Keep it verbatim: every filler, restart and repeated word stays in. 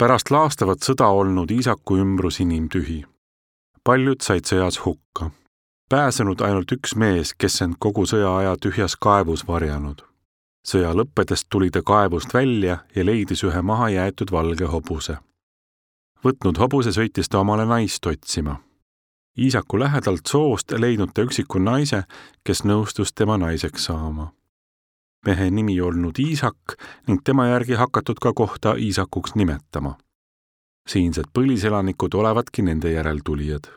Pärast laastavat sõda olnud Iisaku ümbrus inimtühi. Paljud said sõjas hukka. Pääsenud ainult üks mees, kes end kogu sõja aja tühjas kaevus varjanud. Sõja lõppedes tuli ta kaevust välja ja leidis ühe maha jäetud valge hobuse. Võtnud hobuse sõitis ta omale naist otsima. Iisaku lähedalt soost leidnud ta üksiku naise, kes nõustus tema naiseks saama. Mehe nimi olnud Iisak ning tema järgi hakatud ka kohta Iisakuks nimetama. Siinsed põliselanikud olevatki nende järeltulijad.